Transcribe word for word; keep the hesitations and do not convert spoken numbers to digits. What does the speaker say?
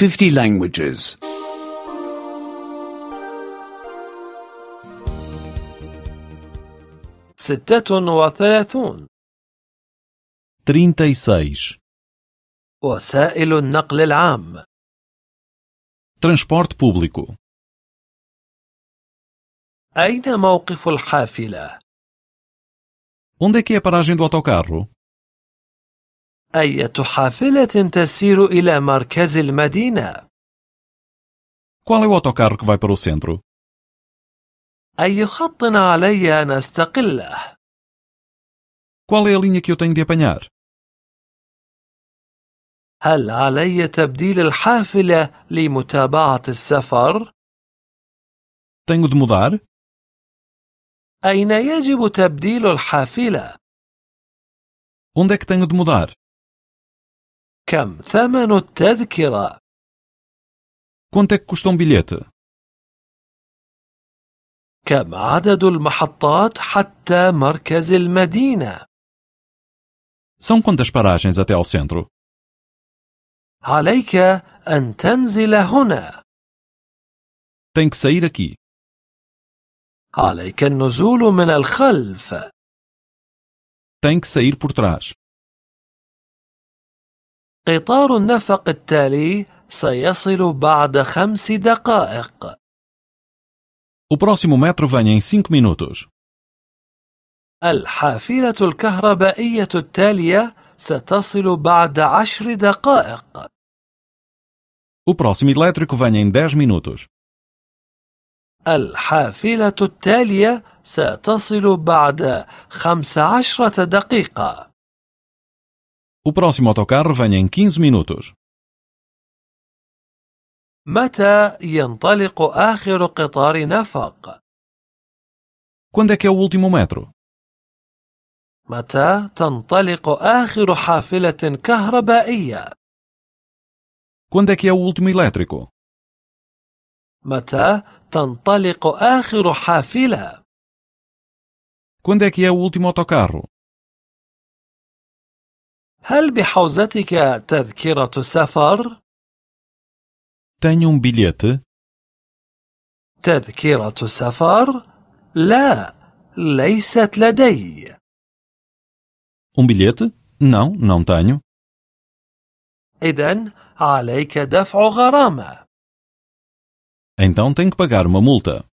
fifty languages. ستة وثلاثون. trinta e seis. وسائل النقل العام. Transporte público. أين موقف الحافلة؟ Onde é que é a paragem do autocarro? أية حافلة تسير إلى مركز المدينة؟ Qual é o autocarro que vai para o centro? أي خط علي أن أستقله؟ Qual é a linha que eu tenho de apanhar? هل علي تبديل الحافلة لمتابعة السفر؟ Tenho de mudar? أين يجب تبديل الحافلة؟ Onde é que tenho de mudar? كم ثمن التذكرة؟ Quanto é que custa um bilhete? كم عدد المحطات حتى مركز المدينة؟ São quantas paragens até ao centro? عليك أن تنزل هنا. Tem que sair aqui. عليك النزول من الخلف. Tem que sair por trás. قطار النفق التالي سيصل بعد خمس دقائق. O próximo metro vem em cinco minutos. الحافلة الكهربائية التالية ستصل بعد عشر دقائق. O próximo elétrico vem em dez minutos. الحافلة التالية ستصل بعد خمس عشرة دقيقة. O próximo autocarro vem em quinze minutos. متى ينطلق آخر قطار نفق؟ Quando é que é o último metro? متى تنطلق آخر حافلة كهربائية؟ Quando é que é o último elétrico? متى تنطلق آخر حافلة؟ Quando é que é o último autocarro? هل بحوزتك تذكرة سفر؟ Tenho um bilhete? تذكرة سفر؟ لا، ليست لدي. Um bilhete? Não, não tenho. إذن عليك دفع غرامة. Então tenho que pagar uma multa.